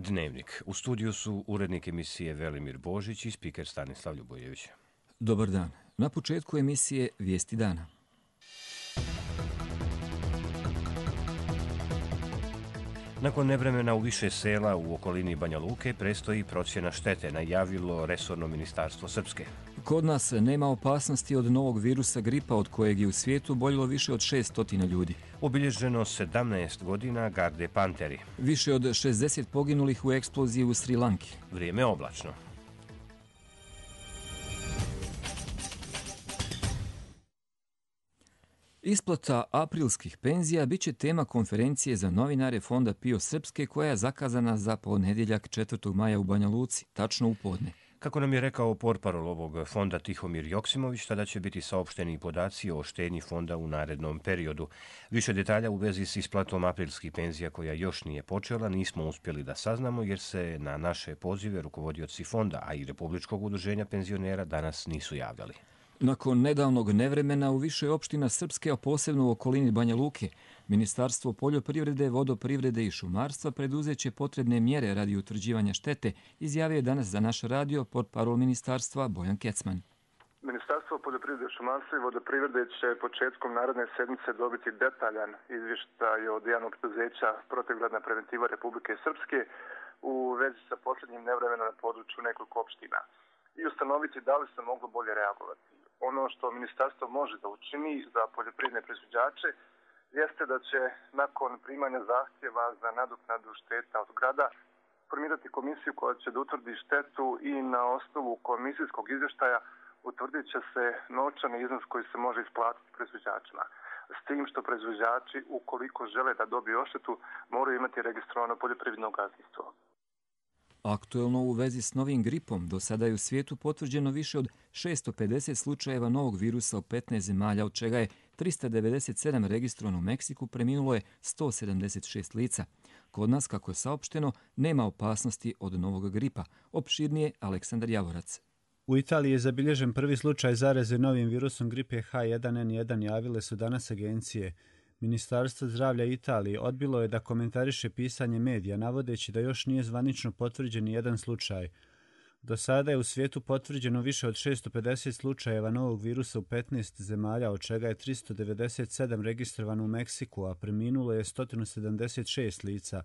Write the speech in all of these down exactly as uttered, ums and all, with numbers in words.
Dnevnik. U studiju su urednik emisije Velimir Božić i spiker Stanislav Ljubojević. Dobar dan. Na početku emisije Vijesti dana. Nakon nevremena u više sela u okolini Banja Luke prestoji procjena štete, najavilo resorno ministarstvo Srpske. Kod nas nema opasnosti od novog virusa gripa od kojeg je u svijetu oboljelo više od šesnaest ljudi. Obilježeno sedamnaest godina Garde Panteri. Više od šezdeset poginulih u eksploziji u Sri Lanki. Vrijeme oblačno. Isplata aprilskih penzija bit će tema konferencije za novinare Fonda Pio Srpske koja je zakazana za ponedjeljak četvrtog maja u Banja Luci, tačno u podne. Kako nam je rekao portparol ovog fonda Tihomir Joksimović, tada će biti saopšteni podaci o štednji fonda u narednom periodu. Više detalja u vezi s isplatom aprilskih penzija koja još nije počela nismo uspjeli da saznamo jer se na naše pozive rukovodioci fonda, a i Republičkog udruženja penzionera danas nisu javljali. Nakon nedavnog nevremena u više opština Srpske, a posebno u okolini Banja Luke, Ministarstvo poljoprivrede, vodoprivrede i šumarstva preduzeće potrebne mjere radi utvrđivanja štete, izjavio je danas za naš radio portparol ministarstva Bojan Kecman. Ministarstvo poljoprivrede, šumarstva i vodoprivrede će početkom naredne sedmice dobiti detaljan izvještaj od javnog preduzeća Protivgradna preventiva Republike Srpske u vezi sa posljednjim nevremenom na području nekoliko opština i ustanoviti da li se moglo bolje reagovati. Ono što ministarstvo može da učini za poljoprivredne proizvođače jeste da će nakon primanja zahtjeva za nadoknadu šteta od grada formirati komisiju koja će da utvrdi štetu i na osnovu komisijskog izvještaja utvrdit će se novčani iznos koji se može isplatiti proizvođačima. S tim što proizvođači, ukoliko žele da dobiju odštetu, moraju imati registrovano poljoprivredno gazdinstvo. Aktuelno u vezi s novim gripom, do sada je u svijetu potvrđeno više od šesto pedeset slučajeva novog virusa u petnaest zemalja, od čega je trista devedeset sedam registrovano u Meksiku, preminulo je sto sedamdeset šest lica. Kod nas, kako je saopšteno, nema opasnosti od novog gripa. Opširnije Aleksandar Javorac. U Italiji je zabilježen prvi slučaj zaraze novim virusom gripe H jedan N jedan, javile su danas agencije. Ministarstvo zdravlja Italije odbilo je da komentariše pisanje medija, navodeći da još nije zvanično potvrđen jedan slučaj. Do sada je u svijetu potvrđeno više od šesto pedeset slučajeva novog virusa u petnaest zemalja, od čega je tristo devedeset sedam registrovano u Meksiku, a preminulo je sto sedamdeset šest lica.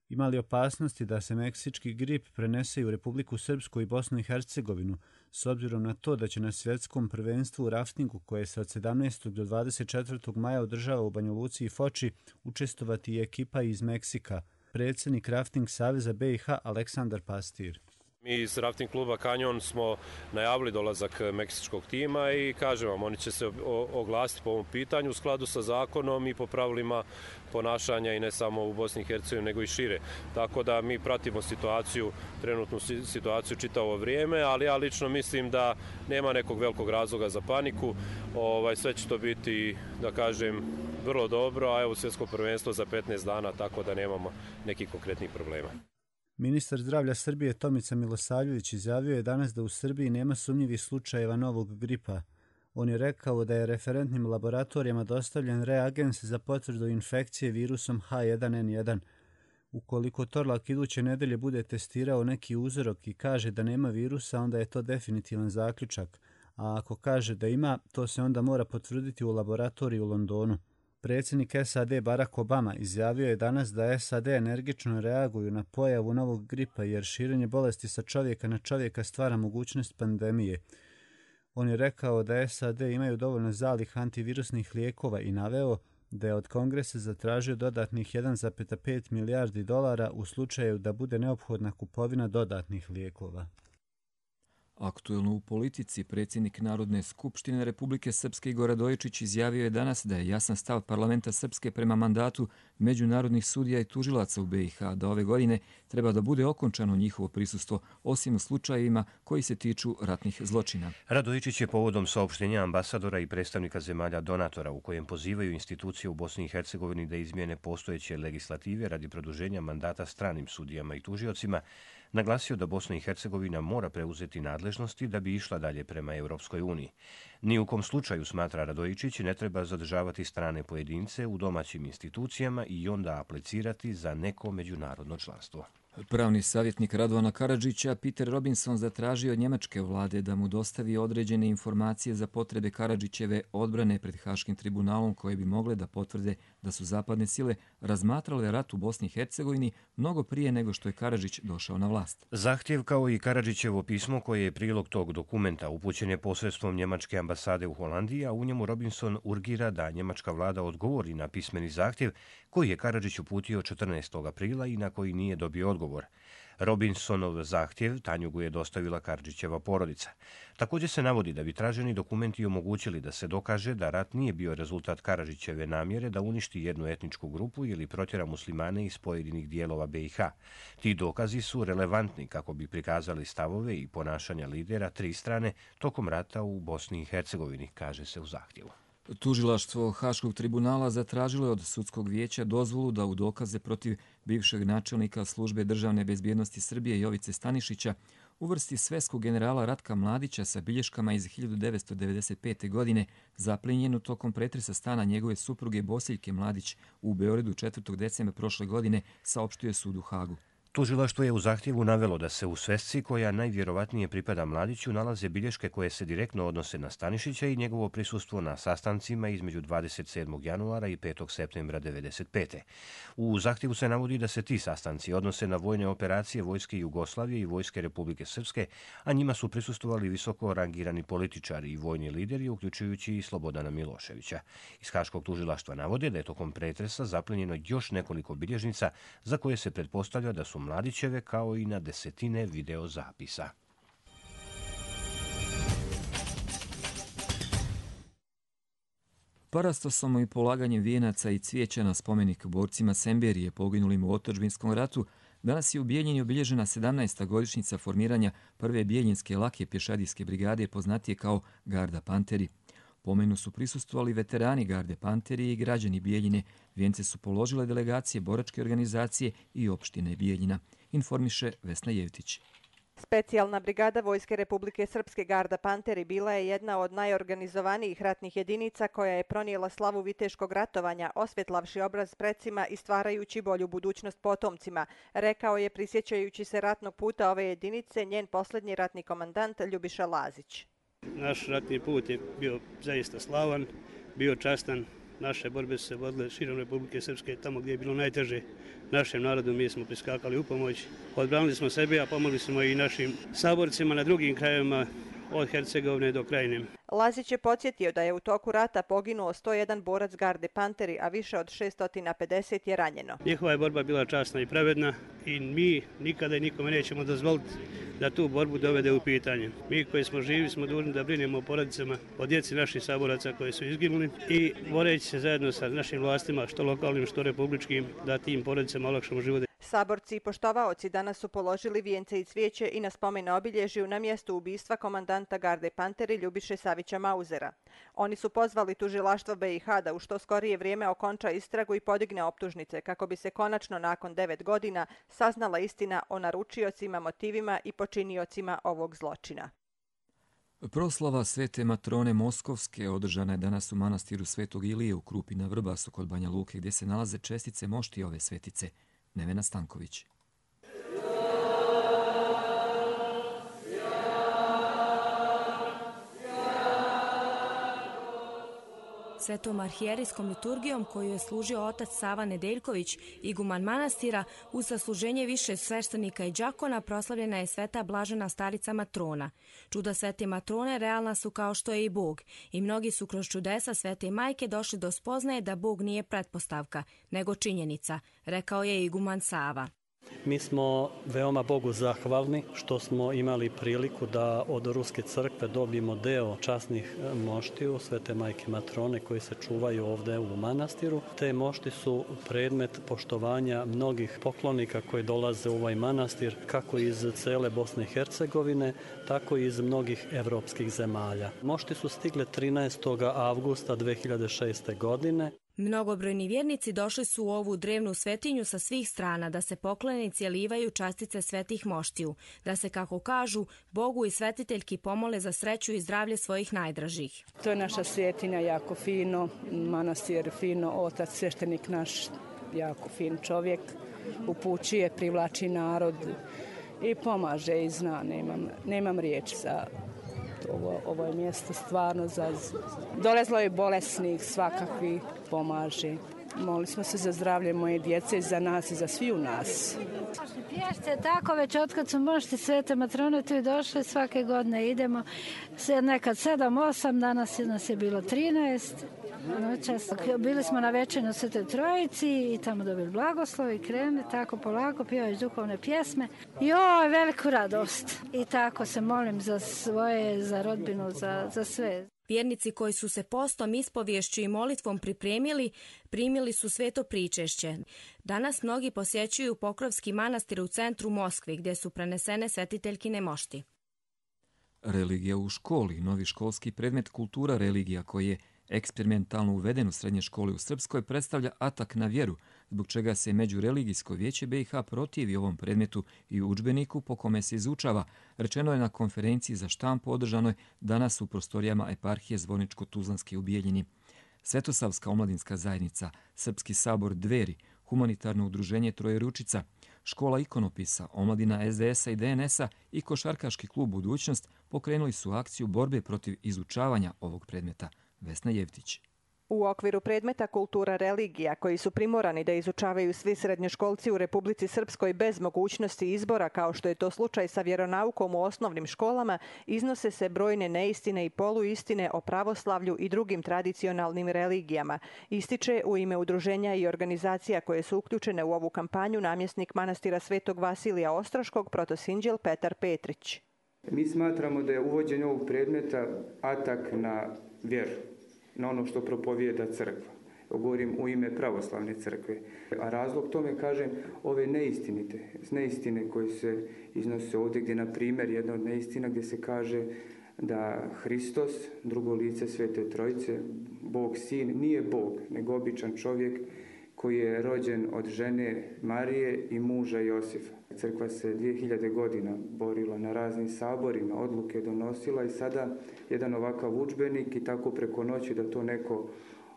Ima li opasnosti da se meksički grip prenese i u Republiku Srpsku i Bosnu i Hercegovinu, s obzirom na to da će na svjetskom prvenstvu u raftingu, koje se od sedamnaestog do dvadeset četvrtog maja održava u Banja Luci i Foči, učestvovati i ekipa iz Meksika? Predsjednik Rafting Saveza B i H Aleksandar Pastir. Mi iz Rafting kluba Kanjon smo najavili dolazak meksičkog tima i kažem vam, oni će se oglasiti po ovom pitanju u skladu sa zakonom i po pravilima ponašanja i ne samo u Bosni i Hercegovini nego i šire. Tako da mi pratimo situaciju, trenutnu situaciju čitavo vrijeme, ali ja lično mislim da nema nekog velikog razloga za paniku. Ovaj, sve će to biti, da kažem, vrlo dobro, a evo svjetsko prvenstvo za petnaest dana, tako da nemamo nekih konkretnih problema. Ministar zdravlja Srbije Tomica Milosavljević izjavio je danas da u Srbiji nema sumnjivih slučajeva novog gripa. On je rekao da je referentnim laboratorijama dostavljen reagens za potvrdu infekcije virusom H jedan N jedan. Ukoliko Torlak iduće nedelje bude testirao neki uzorok i kaže da nema virusa, onda je to definitivan zaključak. A ako kaže da ima, to se onda mora potvrditi u laboratoriji u Londonu. Predsjednik S A D Barack Obama izjavio je danas da S A D energično reaguju na pojavu novog gripa jer širenje bolesti sa čovjeka na čovjeka stvara mogućnost pandemije. On je rekao da S A D imaju dovoljno zalih antivirusnih lijekova i naveo da je od Kongresa zatražio dodatnih jedan zarez pet milijardi dolara u slučaju da bude neophodna kupovina dodatnih lijekova. Aktuelno u politici, predsjednik Narodne skupštine Republike Srpske Igor Radojičić izjavio je danas da je jasan stav parlamenta Srpske prema mandatu međunarodnih sudija i tužilaca u B i H, da ove godine treba da bude okončano njihovo prisustvo, osim u slučajevima koji se tiču ratnih zločina. Radojičić je povodom saopštenja ambasadora i predstavnika zemalja donatora u kojem pozivaju institucije u Bosni i Hercegovini da izmijene postojeće legislative radi produženja mandata stranim sudijama i tužiocima, naglasio da Bosna i Hercegovina mora preuzeti nadležnosti da bi išla dalje prema Europskoj uniji. Ni u kom slučaju, smatra Radojičić, ne treba zadržavati strane pojedince u domaćim institucijama i onda aplicirati za neko međunarodno članstvo. Pravni savjetnik Radovana Karadžića, Peter Robinson, zatražio od njemačke vlade da mu dostavi određene informacije za potrebe Karadžićeve odbrane pred Haškim tribunalom koje bi mogle da potvrde da su zapadne sile razmatrale rat u Bosni i Hercegovini mnogo prije nego što je Karadžić došao na vlast. Zahtjev kao i Karadžićevo pismo koje je prilog tog dokumenta upućen je posredstvom njemačke ambasade u Holandiji, a u njemu Robinson urgira da njemačka vlada odgovori na pismeni zahtjev koji je Karadžić uputio četrnaestog aprila i na koji nije dobio odgovor. Robinsonov zahtjev Tanjugu je dostavila Karadžićeva porodica. Također se navodi da bi traženi dokumenti omogućili da se dokaže da rat nije bio rezultat Karadžićeve namjere da uništi jednu etničku grupu ili protjera muslimane iz pojedinih dijelova be i ha. Ti dokazi su relevantni kako bi prikazali stavove i ponašanja lidera tri strane tokom rata u Bosni i Hercegovini, kaže se u zahtjevu. Tužilaštvo Haškog tribunala zatražilo je od sudskog vijeća dozvolu da u dokaze protiv bivšeg načelnika službe državne bezbjednosti Srbije Jovice Stanišića uvrsti sveskog generala Ratka Mladića sa bilješkama iz hiljadu devetsto devedeset pete. godine zaplenjenu tokom pretresa stana njegove supruge Bosiljke Mladić u Beogradu četvrtog decembra prošle godine, saopštio sud u Hagu. Tužilaštvo je u zahtjevu navelo da se u svesci koja najvjerovatnije pripada Mladiću nalaze bilješke koje se direktno odnose na Stanišića i njegovo prisustvo na sastancima između dvadeset sedmog januara i petog septembra devedeset pete. U zahtjevu se navodi da se ti sastanci odnose na vojne operacije Vojske Jugoslavije i Vojske Republike Srpske, a njima su prisustvovali visoko rangirani političari i vojni lideri, uključujući i Slobodana Miloševića. Iz Haškog tužilaštva navode da je tokom pretresa zaplenjeno još nekoliko bilježnica za koje se pretpostavlja da su Mladićeve, kao i na desetine videozapisa. Parastosom i polaganjem vijenaca i cvijeća na spomenik borcima Semberije poginulim u otadžbinskom ratu, danas je u Bijeljini obilježena sedamnaesta godišnjica formiranja prve bijeljinske lake pješadijske brigade, poznatije kao Garda Panteri. Pomenu su prisustvovali veterani Garde Panteri i građani Bijeljine. Vijence su položile delegacije boračke organizacije i opštine Bijeljina, informiše Vesna Jevtić. Specijalna brigada Vojske Republike Srpske Garda Panteri bila je jedna od najorganizovanijih ratnih jedinica koja je pronijela slavu viteškog ratovanja, osvjetlavši obraz precima i stvarajući bolju budućnost potomcima, rekao je, prisjećajući se ratnog puta ove jedinice, njen posljednji ratni komandant Ljubiša Lazić. Naš ratni put je bio zaista slavan, bio častan. Naše borbe su se vodile širom Republike Srpske, tamo gdje je bilo najteže našem narodu, mi smo priskakali u pomoć. Odbranili smo sebe, a pomogli smo i našim saborcima na drugim krajevima, od Hercegovine do Krajine. Lazić je podsjetio da je u toku rata poginuo sto jedan borac Garde Panteri, a više od šesto pedeset je ranjeno. Njihova je borba bila časna i pravedna i mi nikada i nikome nećemo dozvoliti da tu borbu dovede u pitanje. Mi koji smo živi smo dužni da brinemo o porodicama, o djeci naših saboraca koji su izginuli i boreći se zajedno sa našim vlastima, što lokalnim, što republičkim, da tim porodicama olakšamo život. Saborci i poštovaoci danas su položili vijence i cvijeće i na spomen obilježju na mjestu ubistva komandanta Garde Panteri Ljubiše Savića Mauzera. Oni su pozvali tužilaštvo be i ha da u što skorije vrijeme okonča istragu i podigne optužnice kako bi se konačno nakon devet godina saznala istina o naručiocima, motivima i počiniocima ovog zločina. Proslava Svete Matrone Moskovske održana je danas u manastiru Svetog Ilije u Krupi na Vrbasu kod Banja Luke, gdje se nalaze čestice mošti ove svetice. Nevena Stanković. Svetom arhijerijskom liturgijom koju je služio otac Sava Nedeljković, iguman manastira, uz sasluženje više sveštenika i đakona proslavljena je Sveta Blažena Starica Matrona. Čuda Svete Matrone realna su kao što je i Bog i mnogi su kroz čudesa Svete Majke došli do spoznaje da Bog nije pretpostavka, nego činjenica, rekao je iguman Sava. Mi smo veoma Bogu zahvalni što smo imali priliku da od Ruske crkve dobijemo deo časnih moštiju Svete Majke Matrone koji se čuvaju ovdje u manastiru. Te mošti su predmet poštovanja mnogih poklonika koji dolaze u ovaj manastir, kako iz cele Bosne i Hercegovine, tako i iz mnogih evropskih zemalja. Mošti su stigle trinaestog avgusta dve hiljade šeste. godine. Mnogobrojni vjernici došli su u ovu drevnu svetinju sa svih strana da se poklonici alivaju častice svetih moštiju, da se, kako kažu, Bogu i svetiteljki pomole za sreću i zdravlje svojih najdražih. To je naša svetinja, jako fino, manastir fino, otac sveštenik naš jako fin čovjek, upućuje, privlači narod i pomaže i zna, nemam, nemam riječi za ovo, ovo je mjesto stvarno za... Dolazilo je bolesnih, svakakvi pomaže. Molili smo se za zdravlje moje djece i za nas i za svi u nas. Pješce tako već otkad su mošti Svete matrone tu i došli, svake godine idemo. Nekad sedam, osam, danas nas je bilo trinaest. Noćas bili smo na večernju na Svetoj Trojici i tamo dobili blagoslov i krene tako polako, pjevaju duhovne pjesme. Joj, veliku radost. I tako se molim za svoje, za rodbinu, za, za sve. Vjernici koji su se postom, ispovješću i molitvom pripremili, primili su sveto pričešće. Danas mnogi posjećuju Pokrovski manastir u centru Moskve, gdje su prenesene svetiteljkine mošti. Religija u školi, novi školski predmet kultura religija koji je eksperimentalno uveden u srednje škole u Srpskoj, predstavlja atak na vjeru, zbog čega se Međureligijsko vijeće B i H protivi ovom predmetu i udžbeniku po kome se izučava, rečeno je na konferenciji za štampu održanoj danas u prostorijama eparhije Zvorničko-Tuzlanske u Bijeljini. Svetosavska omladinska zajednica, Srpski sabor Dveri, humanitarno udruženje Trojeručica, škola ikonopisa, omladina S D S-a i D N S-a i košarkaški klub Budućnost pokrenuli su akciju borbe protiv izučavanja ovog predmeta. Vesna Jevtić. U okviru predmeta kultura religija, koji su primorani da izučavaju svi srednjoškolci u Republici Srpskoj bez mogućnosti izbora, kao što je to slučaj sa vjeronaukom u osnovnim školama, iznose se brojne neistine i poluistine o pravoslavlju i drugim tradicionalnim religijama, ističe u ime udruženja i organizacija koje su uključene u ovu kampanju namjesnik manastira Svetog Vasilija Ostroškog, protosinđel Petar Petrić. Mi smatramo da je uvođenje ovog predmeta atak na vjeru, na ono što propovijeda crkva. Govorim u ime pravoslavne crkve. A razlog tome, kažem, ove neistinite, neistine koje se iznose ovdje, gdje, na primjer, jedna od neistina gdje se kaže da Hristos, drugo lice Svete Trojice, Bog sin, nije Bog, nego običan čovjek koji je rođen od žene Marije i muža Josifa. Crkva se dvije hiljade godina borila na raznim saborima, odluke donosila i sada jedan ovakav udžbenik i tako preko noći da to neko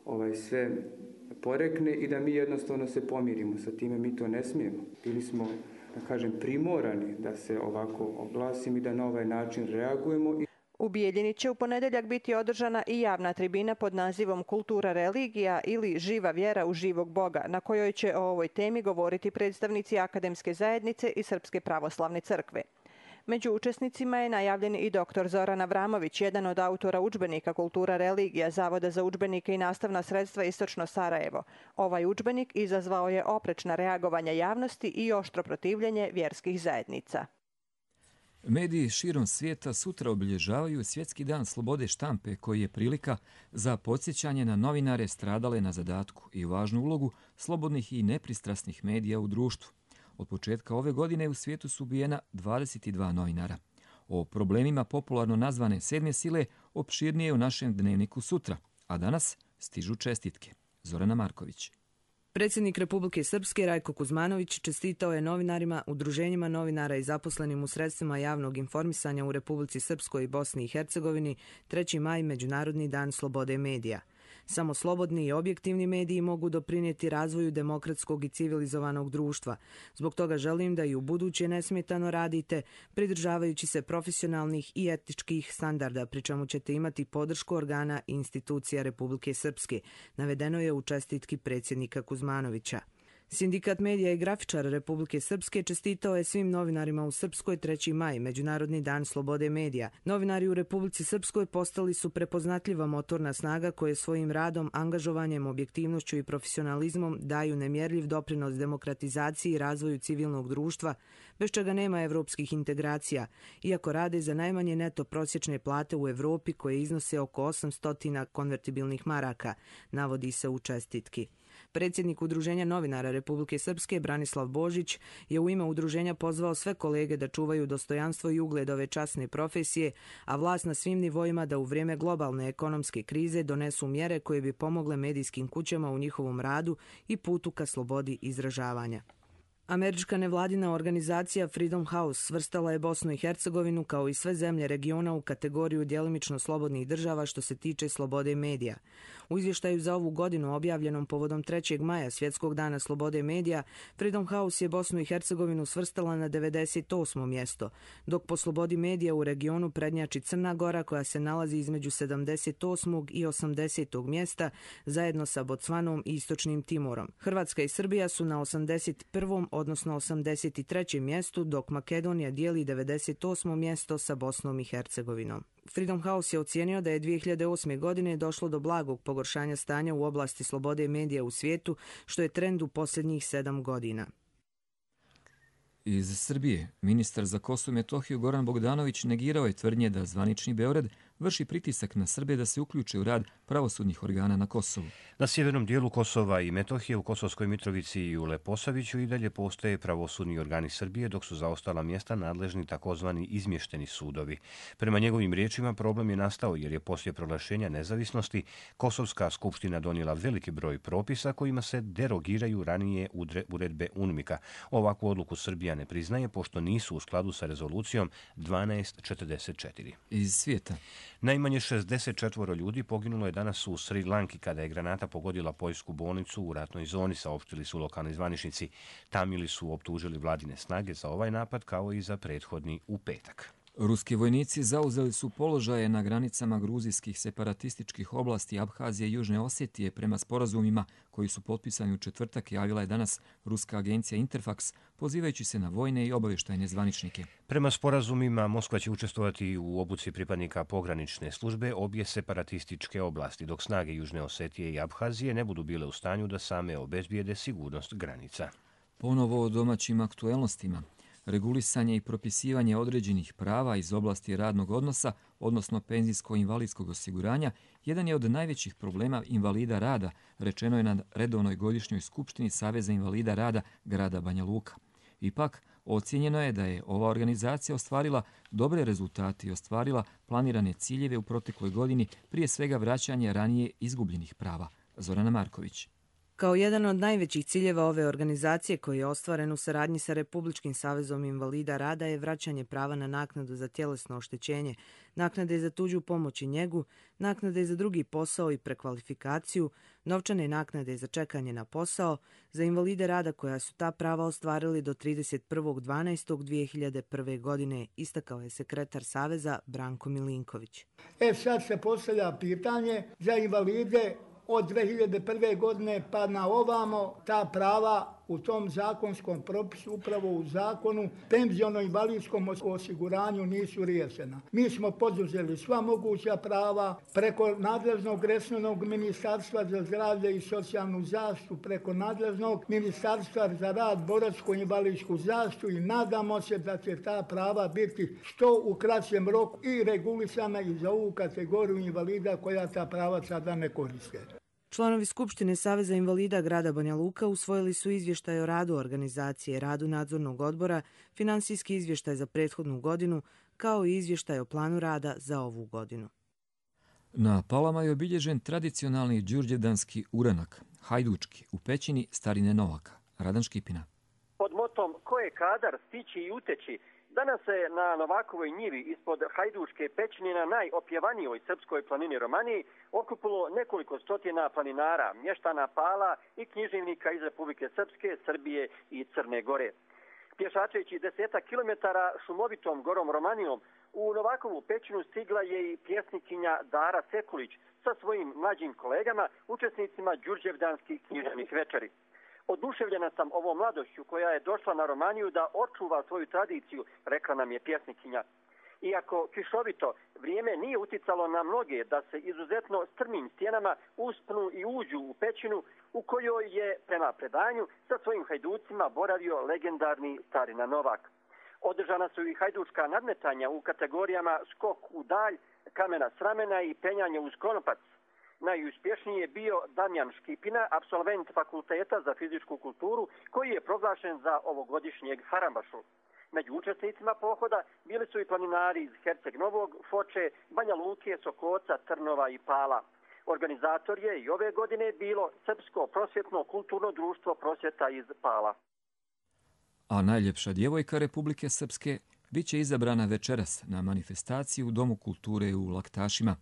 ovaj, sve porekne i da mi jednostavno se pomirimo. Sa time mi to ne smijemo. Bili smo, da kažem, primorani da se ovako oglasimo i da na ovaj način reagujemo. U Bijeljini će u ponedjeljak biti održana i javna tribina pod nazivom Kultura religija ili Živa vjera u živog Boga, na kojoj će o ovoj temi govoriti predstavnici akademske zajednice i Srpske pravoslavne crkve. Među učesnicima je najavljen i doktor Zoran Avramović, jedan od autora udžbenika Kultura religija Zavoda za udžbenike i nastavna sredstva Istočno Sarajevo. Ovaj udžbenik izazvao je oprečna reagovanja javnosti i oštro protivljenje vjerskih zajednica. Mediji širom svijeta sutra obilježavaju Svjetski dan slobode štampe, koji je prilika za podsjećanje na novinare stradale na zadatku i važnu ulogu slobodnih i nepristrasnih medija u društvu. Od početka ove godine u svijetu su ubijena dvadeset dva novinara. O problemima popularno nazvane sedme sile opširnije u našem dnevniku sutra, a danas stižu čestitke. Zorana Marković. Predsjednik Republike Srpske Rajko Kuzmanović čestitao je novinarima, udruženjima novinara i zaposlenim u sredstvima javnog informisanja u Republici Srpskoj i Bosni i Hercegovini treći maj Međunarodni dan slobode medija. Samo slobodni i objektivni mediji mogu doprinijeti razvoju demokratskog i civilizovanog društva. Zbog toga želim da i u buduće nesmetano radite, pridržavajući se profesionalnih i etičkih standarda, pri čemu ćete imati podršku organa i institucija Republike Srpske, navedeno je u čestitki predsjednika Kuzmanovića. Sindikat medija i grafičara Republike Srpske čestitao je svim novinarima u Srpskoj treći maj, Međunarodni dan slobode medija. Novinari u Republici Srpskoj postali su prepoznatljiva motorna snaga koje svojim radom, angažovanjem, objektivnošću i profesionalizmom daju nemjerljiv doprinos demokratizaciji i razvoju civilnog društva, bez čega nema evropskih integracija, iako rade za najmanje neto prosječne plate u Evropi koje iznose oko osamsto konvertibilnih maraka, navodi se u čestitki. Predsjednik Udruženja novinara Republike Srpske Branislav Božić je u ime udruženja pozvao sve kolege da čuvaju dostojanstvo i ugled ove časne profesije, a vlast na svim nivoima da u vrijeme globalne ekonomske krize donesu mjere koje bi pomogle medijskim kućama u njihovom radu i putu ka slobodi izražavanja. Američka nevladina organizacija Freedom House svrstala je Bosnu i Hercegovinu kao i sve zemlje regiona u kategoriju djelimično slobodnih država što se tiče slobode medija. U izvještaju za ovu godinu objavljenom povodom trećeg maja Svjetskog dana slobode medija, Freedom House je Bosnu i Hercegovinu svrstala na devedeset osmo mjesto, dok po slobodi medija u regionu prednjači Crna Gora koja se nalazi između sedamdeset osmog i osamdesetog mjesta zajedno sa Bocvanom i Istočnim Timorom. Hrvatska i Srbija su na osamdeset prvom odnosno osamdeset trećem mjestu, dok Makedonija dijeli devedeset osmo mjesto sa Bosnom i Hercegovinom. Freedom House je ocijenio da je dvije hiljade osme. godine došlo do blagog pogoršanja stanja u oblasti slobode medija u svijetu, što je trend u posljednjih sedam godina. Iz Srbije, ministar za Kosovo i Metohiju Goran Bogdanović negirao je tvrdnje da zvanični Beograd vrši pritisak na Srbe da se uključe u rad pravosudnih organa na Kosovu. Na sjevernom dijelu Kosova i Metohije, u Kosovskoj Mitrovici i u Leposaviću i dalje postoje pravosudni organi Srbije, dok su za ostala mjesta nadležni takozvani izmješteni sudovi. Prema njegovim riječima, problem je nastao jer je poslije proglašenja nezavisnosti Kosovska skupština donijela veliki broj propisa kojima se derogiraju ranije uredbe UNMIK-a. Ovakvu odluku Srbija ne priznaje pošto nisu u skladu sa rezolucijom dvanaest četrdeset četiri. Iz svijeta. Najmanje šezdeset četvoro ljudi poginulo je danas u Sri Lanki kada je granata pogodila poljsku bolnicu u ratnoj zoni, saopštili su lokalni zvaničnici. Tamili su optužili vladine snage za ovaj napad kao i za prethodni u petak. Ruski vojnici zauzeli su položaje na granicama gruzijskih separatističkih oblasti Abhazije i Južne Osetije prema sporazumima koji su potpisani u četvrtak, javila je danas ruska agencija Interfax, pozivajući se na vojne i obavještajne zvaničnike. Prema sporazumima, Moskva će učestvovati u obuci pripadnika pogranične službe obje separatističke oblasti, dok snage Južne Osetije i Abhazije ne budu bile u stanju da same obezbijede sigurnost granica. Ponovo o domaćim aktuelnostima. Regulisanje i propisivanje određenih prava iz oblasti radnog odnosa, odnosno penzijsko-invalidskog osiguranja, jedan je od najvećih problema invalida rada, rečeno je na redovnoj godišnjoj skupštini Saveza invalida rada grada Banja Luka. Ipak, ocijenjeno je da je ova organizacija ostvarila dobre rezultate i ostvarila planirane ciljeve u protekloj godini, prije svega vraćanje ranije izgubljenih prava. Zorana Marković. Kao jedan od najvećih ciljeva ove organizacije koji je ostvaren u saradnji sa Republičkim savezom invalida rada je vraćanje prava na naknadu za tjelesno oštećenje, naknade za tuđu pomoć i njegu, naknade za drugi posao i prekvalifikaciju, novčane naknade za čekanje na posao, za invalide rada koja su ta prava ostvarili do trideset prvog dvanaestog dvije hiljade prve. godine, istakao je sekretar Saveza Branko Milinković. E sad se postavlja pitanje za invalide od dvije hiljade prve. godine pa na ovamo ta prava u tom zakonskom propisu, upravo u zakonu, penziono-invalidskom osiguranju nisu riješena. Mi smo poduzeli sva moguća prava preko nadležnog resornog ministarstva za zdravlje i socijalnu zaštitu, preko nadležnog ministarstva za rad, boračku i invalidsku zaštitu i nadamo se da će ta prava biti što u kraćem roku i regulisana i za ovu kategoriju invalida koja ta prava sada ne koriste. Članovi Skupštine Saveza invalida grada Banja Luka usvojili su izvještaj o radu organizacije, radu nadzornog odbora, finansijski izvještaj za prethodnu godinu, kao i izvještaj o planu rada za ovu godinu. Na Palama je obilježen tradicionalni đurđevdanski uranak, hajdučki, u pećini starine Novaka. Radan Škipina. Pod motom ko je kadar stići i uteći, danas se na Novakovoj njivi ispod Hajduške pećine na najopjevanijoj srpskoj planini Romaniji okupilo nekoliko stotina planinara, mještana Pala i književnika iz Republike Srpske, Srbije i Crne Gore. Pješačeći deseta kilometara šumovitom gorom Romanijom, u Novakovu pećinu stigla je i pjesnikinja Dara Sekulić sa svojim mlađim kolegama, učesnicima đurđevdanskih književnih večeri. Oduševljena sam ovom mladošću koja je došla na Romaniju da očuva svoju tradiciju, rekla nam je pjesnikinja. Iako kišovito, vrijeme nije uticalo na mnoge da se izuzetno strmim stjenama uspnu i uđu u pećinu u kojoj je, prema predanju, sa svojim hajducima boravio legendarni starina Novak. Održana su i hajdučka nadmetanja u kategorijama skok u dalj, kamena s ramena i penjanje uz konopac. Najuspješniji je bio Damjan Škipina, apsolvent Fakulteta za fizičku kulturu, koji je proglašen za ovogodišnjeg Harambašu. Među učesnicima pohoda bili su i planinari iz Herceg Novog, Foče, Banja Luke, Sokoca, Trnova i Pala. Organizator je i ove godine bilo Srpsko prosvjetno kulturno društvo prosvjeta iz Pala. A najljepša djevojka Republike Srpske bit će izabrana večeras na manifestaciji u Domu kulture u Laktašima.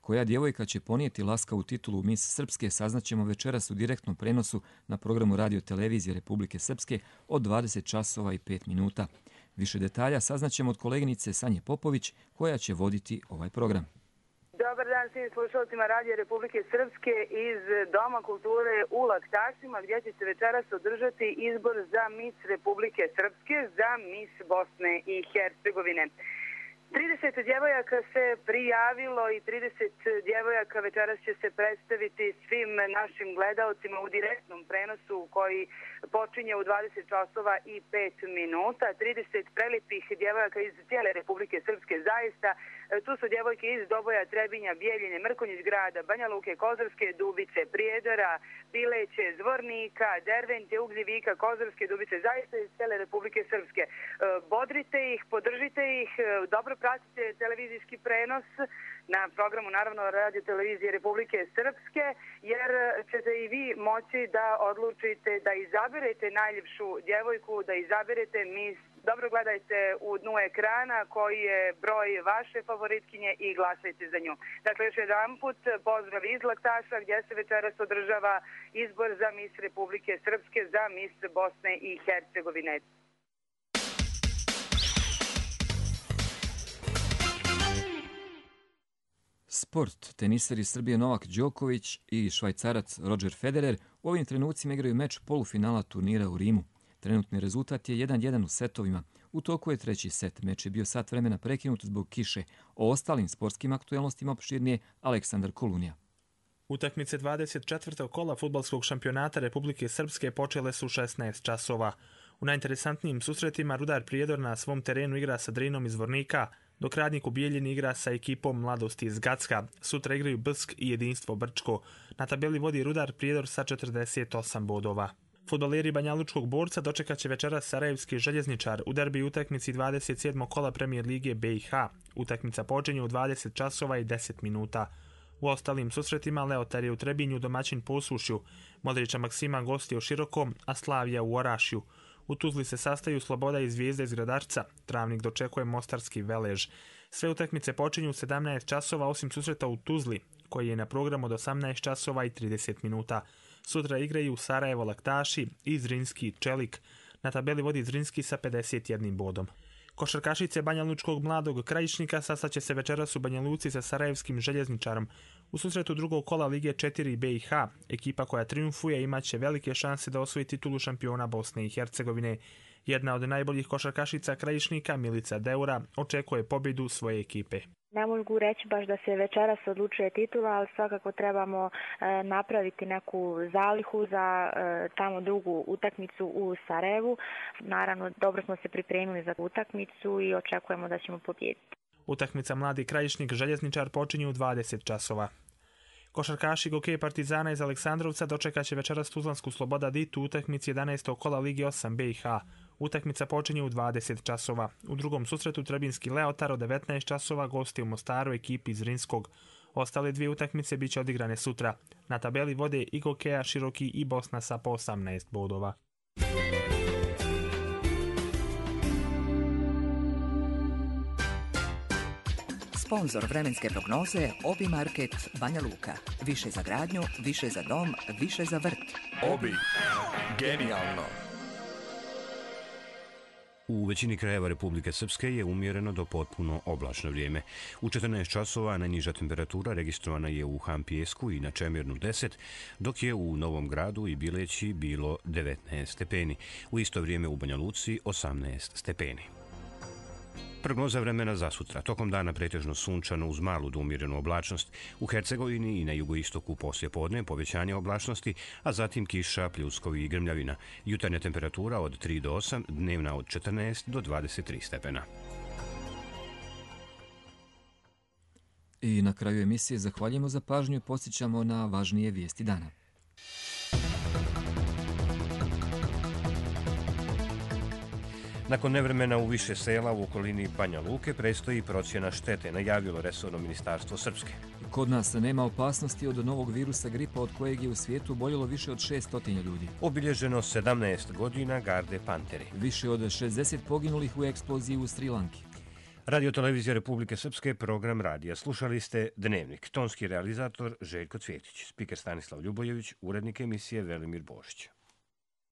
Koja djevojka će ponijeti laskavu titulu Miss Srpske saznaćemo večeras u direktnom prenosu na programu Radio Televizije Republike Srpske od dvadeset časova i pet minuta. Više detalja saznaćemo od koleginice Sanje Popović koja će voditi ovaj program. Dobar dan svim slušalcima Radio Republike Srpske iz Doma kulture u Laktašima gdje će se večeras održati izbor za Miss Republike Srpske, za Miss Bosne i Hercegovine. trideset djevojaka se prijavilo i trideset djevojaka večeras će se predstaviti svim našim gledaocima u direktnom prenosu koji počinje u dvadeset časova i pet minuta. trideset prelipih djevojaka iz cijele Republike Srpske zaista. Tu su djevojke iz Doboja, Trebinja, Bijeljine, Mrkonjić grada, Banja Luke, Kozarske Dubice, Prijedora, Bileće, Zvornika, Dervente, Ugljevika, Kozarske Dubice, zaista iz cijele Republike Srpske. Bodrite ih, podržite ih, dobro pratite televizijski prenos na programu, naravno, Radio Televizije Republike Srpske, jer ćete i vi moći da odlučite da izaberete najljepšu djevojku, da izaberete Miss. Dobro gledajte u dnu ekrana koji je broj vaše favoritkinje i glasajte za nju. Dakle, još jedan put pozdrav iz Laktaša gdje se večeras održava izbor za Miss Republike Srpske, za Miss Bosne i Hercegovine. Sport. Teniseri Srbije Novak Đoković i Švajcarac Roger Federer u ovim trenucima igraju meč polufinala turnira u Rimu. Trenutni rezultat je jedan jedan u setovima. U toku je treći set. Meč je bio sat vremena prekinut zbog kiše. O ostalim sportskim aktuelnostima opširnije Aleksandar Kolunija. Utakmice dvadeset četvrtog kola fudbalskog šampionata Republike Srpske počele su u šesnaest časova. U najinteresantnijim susretima Rudar Prijedor na svom terenu igra sa Drinom iz Zvornika, dok Radnik u Bijeljini igra sa ekipom Mladosti iz Gacka. Sutra igraju Brsk i Jedinstvo Brčko. Na tabeli vodi Rudar Prijedor sa četrdeset osam bodova. Fudbaleri Banjalučkog Borca dočekat će večeras Sarajevski Željezničar u derbi utakmici dvadeset sedmog kola Premijer Lige B i H. Utakmica počinje u dvadeset časova i deset minuta. U ostalim susretima Leotar je u Trebinju domaćin Posušju, Modrića Maksima gosti u Širokom, a Slavija u Orašju. U Tuzli se sastaju Sloboda i Zvijezda iz Gradarca, Travnik dočekuje Mostarski Velež. Sve utakmice počinju u sedamnaest časova osim susreta u Tuzli, koji je na programu od osamnaest časova i trideset minuta. Sutra igraju Sarajevo Laktaši i Zrinski Čelik. Na tabeli vodi Zrinski sa pedeset jednim bodom. Košarkašice Banjalučkog Mladog Krajišnika sastaće se večeras u Banja Luci sa Sarajevskim Željezničarom. U susretu drugog kola Lige četiri B i H, ekipa koja triumfuje imaće velike šanse da osvoji titulu šampiona Bosne i Hercegovine. Jedna od najboljih košarkašica Krajišnika, Milica Deura, očekuje pobjedu svoje ekipe. Ne mogu reći baš da se večeras odlučuje titula, ali svakako trebamo e, napraviti neku zalihu za e, tamo drugu utakmicu u Sarajevu. Naravno, dobro smo se pripremili za utakmicu i očekujemo da ćemo pobijediti. Utakmica Mladi Krajišnik Željezničar počinje u dvadeset časova. Košarkaši Gokej Partizana iz Aleksandrovca dočekat će večeras Tuzlansku Sloboda Dit u utakmici jedanaestog kola Lige osam B i H. Utakmica počinje u dvadeset časova. U drugom susretu Trebinski Leotar od devetnaest časova gosti u Mostaru ekipi iz Rinskog. Ostale dvije utakmice biće odigrane sutra. Na tabeli vode i Gokeja, Široki i Bosna sa po osamnaest bodova. Sponzor vremenske prognoze Obi Market Banja Luka. Više za gradnju, više za dom, više za vrt. Obi. Genijalno. U većini krajeva Republike Srpske je umjereno do potpuno oblačno vrijeme. U četrnaest časova najniža temperatura registrovana je u Han Pijesku i na Čemirnu deset, dok je u Novom Gradu i Bileći bilo devetnaest stepeni. U isto vrijeme u Banja Luci osamnaest stepeni. Prognoza vremena za sutra. Tokom dana pretežno sunčano uz malu do umjerenu oblačnost. U Hercegovini i na jugoistoku poslije podne povećanje oblačnosti, a zatim kiša, pljuskovi i grmljavina. Jutarnja temperatura od tri do osam, dnevna od četrnaest do dvadeset tri stepena. I na kraju emisije zahvaljujemo za pažnju i podsjećamo na važnije vijesti dana. Nakon nevremena u više sela u okolini Banja Luke predstoji procjena štete, najavilo resorno ministarstvo Srpske. Kod nas nema opasnosti od novog virusa gripa od kojeg je u svijetu oboljelo više od šessto ljudi. Obilježeno sedamnaest godina Garde Panteri. Više od šezdeset poginulih u eksploziji u Sri Lanki. Radio Televizija Republike Srpske, program radija. Slušali ste Dnevnik. Tonski realizator Željko Cvjetić, spiker Stanislav Ljubojević, urednik emisije Velimir Božić.